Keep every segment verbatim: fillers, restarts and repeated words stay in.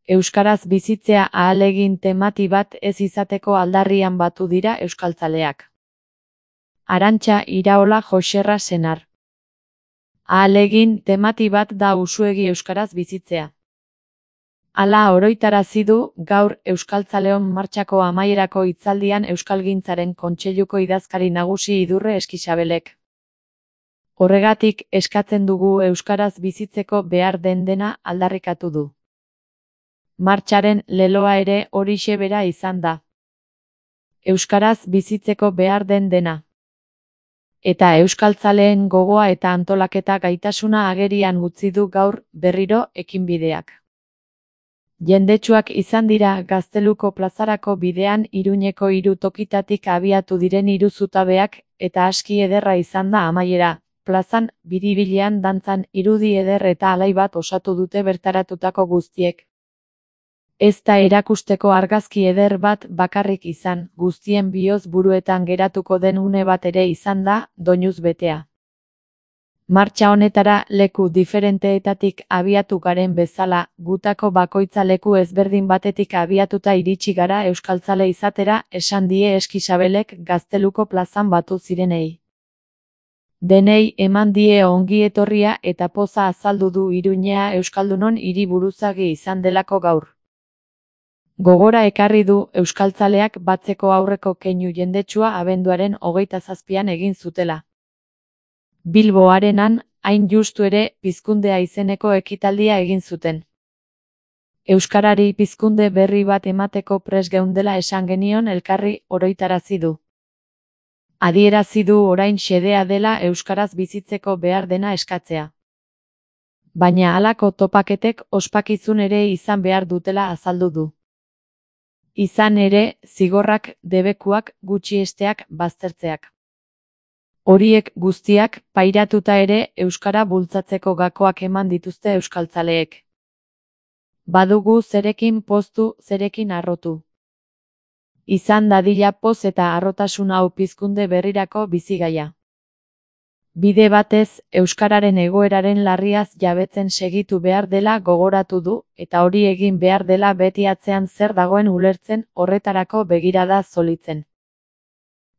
Euskaraz bizitzea ahalegin temati bat ez izateko aldarrian batu dira euskaltzaleak. Arantxa Iraola Joxerra senar. Ahalegin temati bat da usuegi euskaraz bizitzea. Hala oroitarazi du gaur Euskaltzaleon martxako amaierako hitzaldian Euskalgintzaren Kontseiluko idazkari nagusi Idurre Eskixabelek. Horregatik eskatzen dugu euskaraz bizitzeko behar den dena aldarrikatu du. Martxaren leloa ere horixe bera izan da. Euskaraz bizitzeko behar den dena. Eta euskaltzaleen gogoa eta antolaketa gaitasuna agerian utzi du gaur berriro ekinbideak. Jendetsuak izan dira Gazteluko plazarako bidean Iruñeko hiru tokitatik abiatu diren hiru zutabeak eta aski ederra izan da amaiera. Plazan, biribilean dantzan irudi eder eta alai bat osatu dute bertaratutako guztiek. Ez da erakusteko argazki eder bat bakarrik izan, guztien bihotz buruetan geratuko den une bat ere izan da, doinuz betea. Martxa honetara leku diferenteetatik abiatu garen bezala, gutako bakoitza leku ezberdin batetik abiatuta iritsi gara euskaltzale izatera, esan die Eskixabelek Gazteluko plazan batu zirenei. Denei eman die ongi etorria eta poza azaldu du Iruñea euskaldunon hiriburuzagi izan delako gaur. Gogora ekarri du euskaltzaleak batzeko aurreko keinu jendetsua abenduaren hogeita zazpian egin zutela. Bilbo Arenan, hain justu ere, pizkundea izeneko ekitaldia egin zuten. Euskarari pizkunde berri bat emateko prest geundela esan genion elkarri oroitarazi du. Adierazi du orain xedea dela euskaraz bizitzeko behar dena eskatzea. Baina halako topaketek ospakizun ere izan behar dutela azaldu du. Izan ere, zigorrak, debekuak, gutxiesteak, baztertzeak. Horiek guztiak, pairatuta ere, euskara bultzatzeko gakoak eman dituzte euskaltzaleek. Badugu zerekin poztu, zerekin harrotu. Izan dadila poz eta harrotasun hau pizkunde berrirako bizigaia. Bide batez, euskararen egoeraren larriaz jabetzen segitu behar dela gogoratu du, eta hori egin behar dela beti atzean zer dagoen ulertzen, horretarako begirada zolitzen.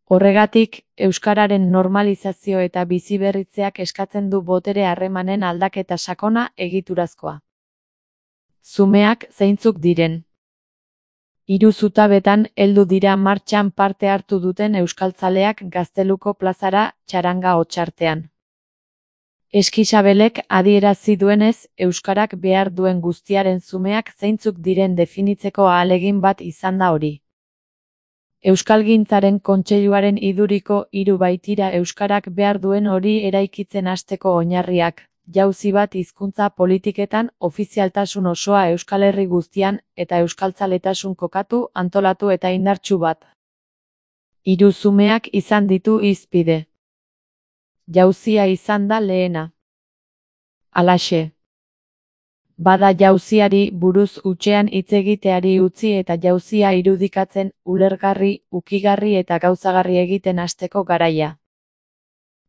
Horregatik, euskararen normalizazio eta biziberritzeak eskatzen du botere harremanen aldaketa sakona egiturazkoa. Zumeak zeintzuk diren. Hiru zutabetan heldu dira martxan parte hartu duten euskaltzaleak Gazteluko plazara txaranga hotsartean. Eskixabelek adierazi duenez, euskarak behar duen guztiaren zumeak zeintzuk diren definitzeko ahalegin bat izan da hori. Euskalgintzaren Kontseiluaren iduriko hiru baitira euskarak behar duen hori eraikitzen hasteko oinarriak, jauzi bat hizkuntza politiketan, ofizialtasun osoa Euskal Herri guztian, eta euskaltzaletasun kokatu, antolatu eta indartsu bat. Hiru zumeak izan ditu hizpide. Jauzia izan da lehena. Halaxe. Bada jauziari buruz hutsean hitz egiteari utzi eta jauzia irudikatzen, ulergarri, ukigarri eta gauzagarri egiten hasteko garaia.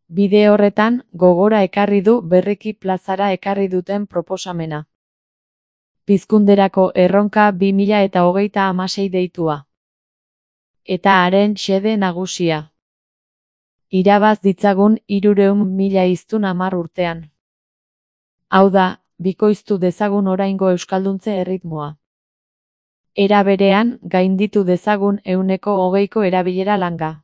Bide horretan, gogora ekarri du berriki plazara ekarri duten proposamena. Pizkunderako erronka bi mila eta hogeita hamasei deitua. Eta haren xede nagusia. Irabaz ditzagun hirurehun mila hiztun hamar urtean. Hau da, bikoiztu dezagun oraingo euskalduntze erritmoa. Era berean, gainditu dezagun ehuneko hogeiko erabilera langa.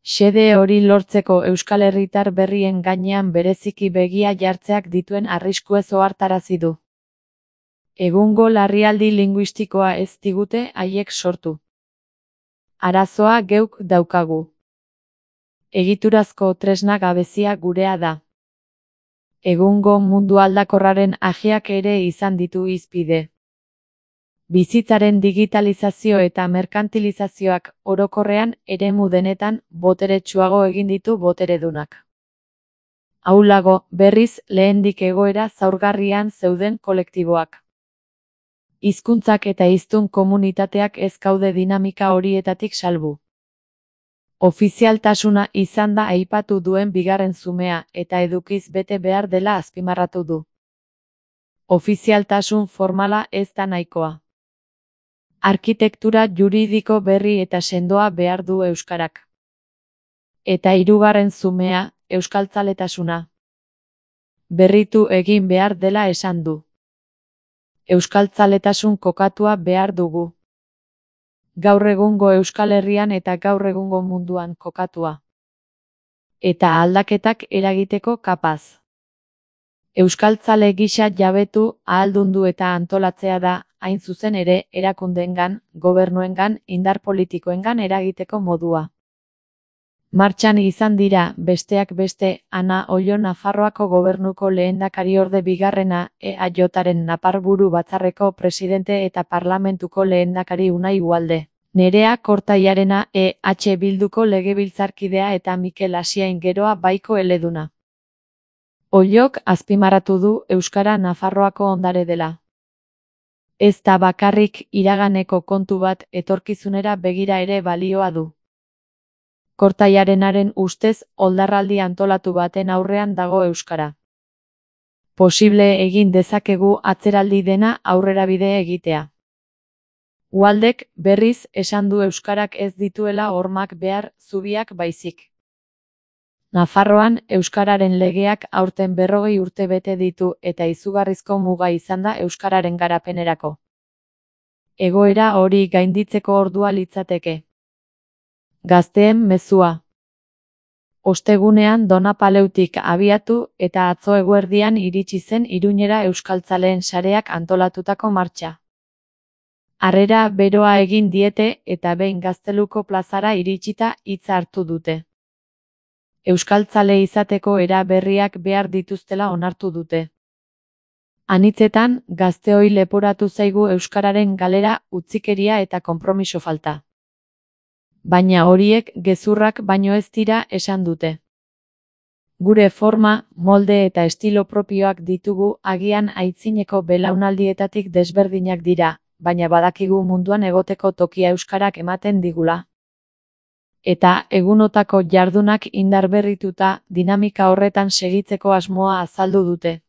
Xede hori lortzeko euskal herritar berrien gainean bereziki begia jartzeak dituen arriskuez ohartarazi du. Egungo larrialdi linguistikoa ez digute haiek sortu. Arazoa geuk daukagu. Egiturazko tresna gabezia gurea da. Egungo mundu aldakorraren ajeak ere izan ditu hizpide. Bizitzaren digitalizazio eta merkantilizazioak orokorrean eremu denetan boteretsuago egin ditu boteredunak. Ahulago, berriz, lehendik egoera zaurgarrian zeuden kolektiboak. Hizkuntzak eta hiztun komunitateak ez gaude dinamika horietatik salbu. Ofizialtasuna izan da aipatu duen bigarren zumea eta edukiz bete behar dela azpimarratu du. Ofizialtasun formala ez da nahikoa. Arkitektura juridiko berri eta sendoa behar du euskarak. Eta hirugarren zumea, euskaltzaletasuna. Berritu egin behar dela esan du. Euskaltzaletasun kokatua behar dugu. Gaur egungo Euskal Herrian eta gaur egungo munduan kokatua. Eta aldaketak eragiteko kapaz. Euskaltzale gisa jabetu, ahaldundu eta antolatzea da, hain zuzen ere, erakundeengan, gobernuengan, indar politikoengan eragiteko modua. Martxan izan dira, besteak beste, Ana Ollo Nafarroako gobernuko lehendakariorde bigarrena, E A Jaren Naparburu batzarreko presidente eta parlamentuko lehendakari Unai Ugalde. Nerea Kortaiarena E H Bilduko legebiltzarkidea eta Mikel Asiain Geroa baiko eleduna. Ollok azpimarratu du euskara Nafarroako ondare dela. Ez da bakarrik iraganeko kontu bat etorkizunera begira ere balioa du. Kortaiarenaren ustez oldarraldi antolatu baten aurrean dago euskara. Posible egin dezakegu atzeraldi dena aurrerabide egitea. Ualdek berriz esan du euskarak ez dituela hormak behar zubiak baizik. Nafarroan euskararen legeak aurten berrogei urte bete ditu eta izugarrizko muga izan da euskararen garapenerako. Egoera hori gainditzeko ordua litzateke. Gazteen mezua. Ostegunean Donapaleutik abiatu eta atzo eguerdian iritsi zen Iruñera euskaltzaleen sareak antolatutako martxa. Harrera beroa egin diete eta behin Gazteluko plazara iritsita hitza hartu dute. Euskaltzale izateko era berriak behar dituztela onartu dute. Anitzetan, gazteoi leporatu zaigu euskararen galera, utzikeria eta konpromiso falta. Baina horiek gezurrak baino ez dira esan dute. Gure forma, molde eta estilo propioak ditugu agian aitzineko belaunaldietatik desberdinak dira, baina badakigu munduan egoteko tokia euskarak ematen digula. Eta egunotako jardunak indarberrituta dinamika horretan segitzeko asmoa azaldu dute.